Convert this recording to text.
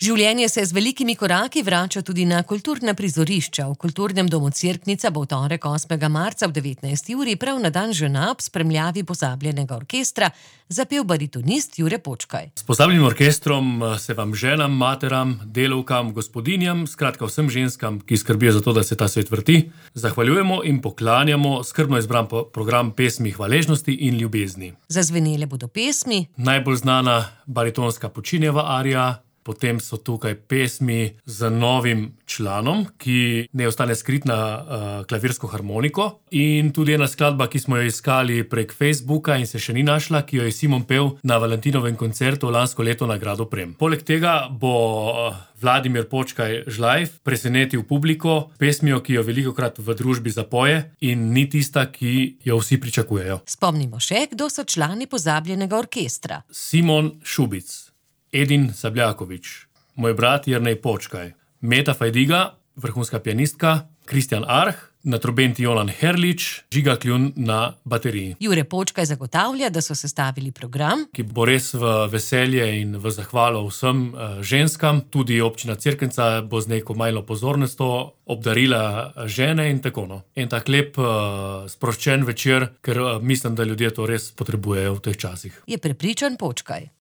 Življenje se z velikimi koraki vrača tudi na kulturna prizorišča. V Kulturnem domu Cerknica bo v torek 8. marca ob 19. uri prav na dan žena ob spremljavi pozabljenega orkestra zapel baritonist Jure Počkaj. S pozabljenim orkestrom se vam ženam, materam, delavkam, gospodinjam, skratka vsem ženskam, ki skrbijo za to, da se ta svet vrti, zahvaljujemo in poklanjamo skrbno izbran program pesmi hvaležnosti in ljubezni. Zazvenele bodo pesmi. Najbolj znana baritonska Puccinijeva arija, potem so tukaj pesmi z novim članom, ki ne ostane skrit na klavirsko harmoniko, in tudi ena skladba, ki smo jo iskali prek Facebooka in se še ni našla, ki jo je Simon pel na Valentinovem koncertu lansko leto na Gradu Prem. Poleg tega bo Vladimir Počkaj Žlajf presenetil publiko pesmijo, ki jo velikokrat v družbi zapoje in ni tista, ki jo vsi pričakujejo. Spomnimo še, kdo so člani pozabljenega orkestra. Simon Šubic, Edin Sabljakovič, moj brat Jernej Počkaj, Meta Fajdiga, vrhunska pianistka, Kristjan Arh, na trobenti Jolan Herlič, Žiga Kljun na bateriji. Jure Počkaj zagotavlja, da so sestavili program, ki bo res v veselje in v zahvalo vsem ženskam. Tudi občina Cerknica bo z neko majhno pozornostjo obdarila žene in tako no. En tak lep, sproščen večer, ker mislim, da ljudje to res potrebujejo v teh časih. je prepričan Počkaj.